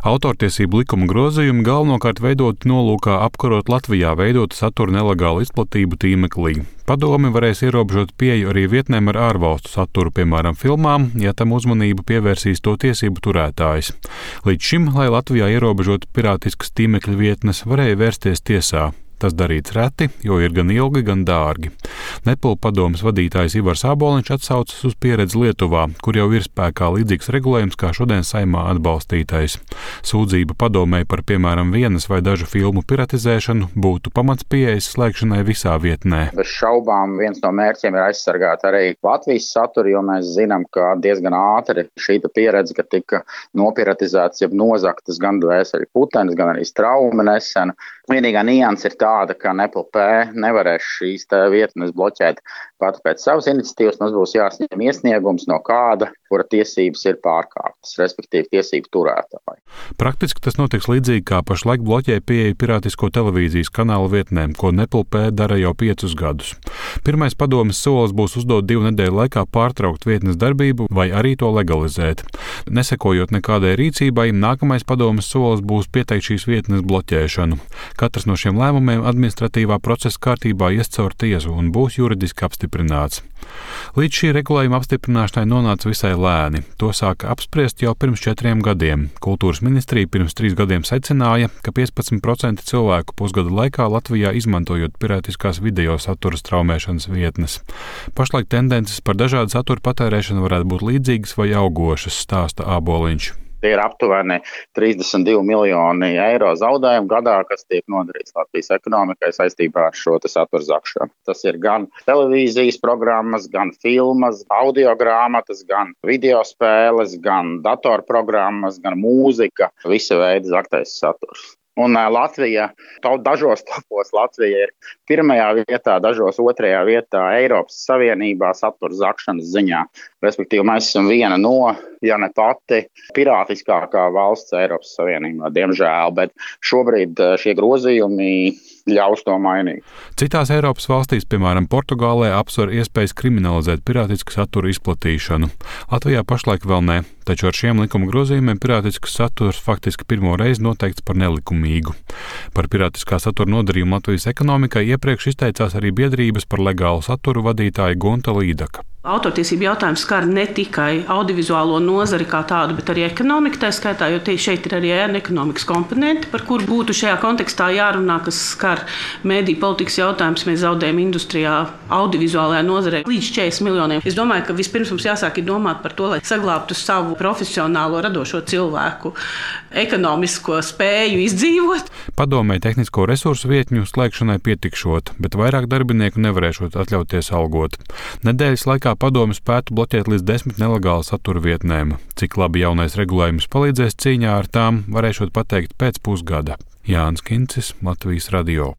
Autortiesību likuma grozījumi galvenokārt veidoti nolūkā apkarot Latvijā veidotu satura nelegālu izplatību tīmeklī. Padome varēs ierobežot pieeju arī vietnēm ar ārvalstu saturu, piemēram, filmām, ja tam uzmanību pievērsīs to tiesību turētājs. Līdz šim, lai Latvijā ierobežotu pirātiskas tīmekļa vietnes, varēja vērsties tiesā. Tas darīts reti, jo ir gan ilgi, gan dārgi. Nepal padomes vadītājs Ivars Āboliņš atsaucas uz pieredzi Lietuvā, kur jau ir spēkā līdzīgs regulējums kā šodien Saeimā atbalstītais. Sūdzība padomei par, piemēram, vienas vai dažu filmu piratizēšanu būtu pamats pieejas slēgšanai visā vietnē. Bez šaubām viens no mērķiem ir aizsargāt arī Latvijas saturu, jo mēs zinām, ka diezgan ātri šī pieredze, ka tika nopiratizēts, jeb nozaktas gan Dvēseli putenis, gan arī Straumi nesen. Vienīgā nianse ir tāda, ka Nepal nevarēs šīs vietnes bloķēt pat pēc savas iniciatīvas. Mums būs jāsņem iesniegums no kāda, kura tiesības ir pārkāptas, respektīvi tiesību turētāji. Praktiski tas notiks līdzīgi kā pašlaik bloķē pieeja pirātisko televīzijas kanālu vietnēm, ko Nepal dara jau 5 gadus. Pirmais padomes solis būs uzdot 2 nedēļu laikā pārtraukt vietnes darbību vai arī to legalizēt. Nesekojot nekādai rīcībai, nākamais padomes solis būs pieteikt šīs vietnes bloķēšanu. Katrs no šiem lēmumiem administratīvā procesa kārtībā ies caur tiesu un būs juridiski apstiprināts. Līdz šī regulējuma apstiprināšanai nonāca visai lēni. To sāka apspriest jau pirms 4 gadiem. Kultūras ministrija pirms 3 gadiem secināja, ka 15% cilvēku pusgada laikā Latvijā izmantojot pirātiskās video satura straumēšanas vietnes. Pašlaik tendences par dažādu satura patērēšanu varētu būt līdzīgas vai augošas, stāsta Āboliņš. Tie ir aptuveni 32 miljoni eiro zaudējumu gadā, kas tiek nodarīts Latvijas ekonomikai saistībā ar šo satura zakšanu. Tas ir gan televīzijas programmas, gan filmas, audiogrāmatas, gan video spēles, gan datorprogrammas, gan mūzika, visa veida zaktais saturs. Un Latvija, dažos topos Latvija ir 1. vietā, dažos 2. vietā Eiropas Savienībā satura zakšanas ziņā. Respektīvi, mēs esam viena no, ja ne pati, pirātiskākā valsts Eiropas Savienībā, diemžēl, bet šobrīd šie grozījumi ļaus to mainīt. Citās Eiropas valstīs, piemēram, Portugālē, apsver iespējas kriminalizēt pirātisku satura izplatīšanu. Latvijā pašlaik vēl ne, taču ar šiem likuma grozījumiem pirātisks saturs faktiski pirmo reizi noteikts par nelikumīgu. Par pirātiskā satura nodarījumu Latvijas ekonomikai iepriekš izteicās arī biedrības par legālu saturu vadītāja Gunta Līdaka. Autortiesību jautājums skar ne tikai audiovizuālo nozari kā tādu, bet arī ekonomiku tā skaitā, jo šeit ir arī ekonomikas komponenti, par kuru būtu šajā kontekstā jārunā, kas skar mediju politikas jautājums. Mēs zaudējam industrijā, audiovizuālajā nozarē līdz 40 miljoniem. Es domāju, ka vispirms mums jāsāk domāt par to, lai saglābtu savu profesionālo radošo cilvēku ekonomisko spēju izdzīvot. Padomē tehnisko resursu vietņu slēgšanai pietikšot, bet vairāk darbinieku nevarēšot atļauties algot. Nedēļas laikā padome spētu bloķēt līdz 10 nelegālu satura vietnēm. Cik labi jaunais regulējums palīdzēs cīņā ar tām, varēšot pateikt pēc pusgada. Jānis Kincis, Latvijas radio.